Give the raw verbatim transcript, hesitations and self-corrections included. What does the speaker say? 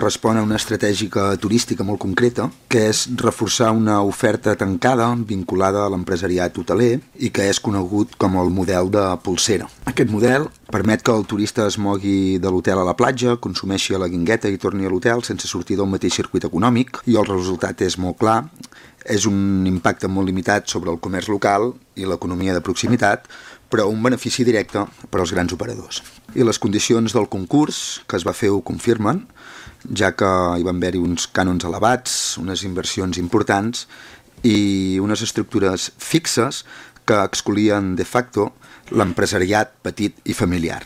respon a una estratègia turística molt concreta, que és reforçar una oferta tancada vinculada a l'empresariat hoteler i que és conegut com el model de polsera. Aquest model permet que el turista es mogui de l'hotel a la platja, consumeixi a la guingueta i torni a l'hotel sense sortir del mateix circuit econòmic, i el resultat és molt clar. És un impacte molt limitat sobre el comerç local i l'economia de proximitat, però un benefici directe per als grans operadors. I les condicions del concurs que es va fer ho confirmen, ja que hi van haver-hi uns cànons elevats, unes inversions importants i unes estructures fixes que excloïen de facto l'empresariat petit i familiar.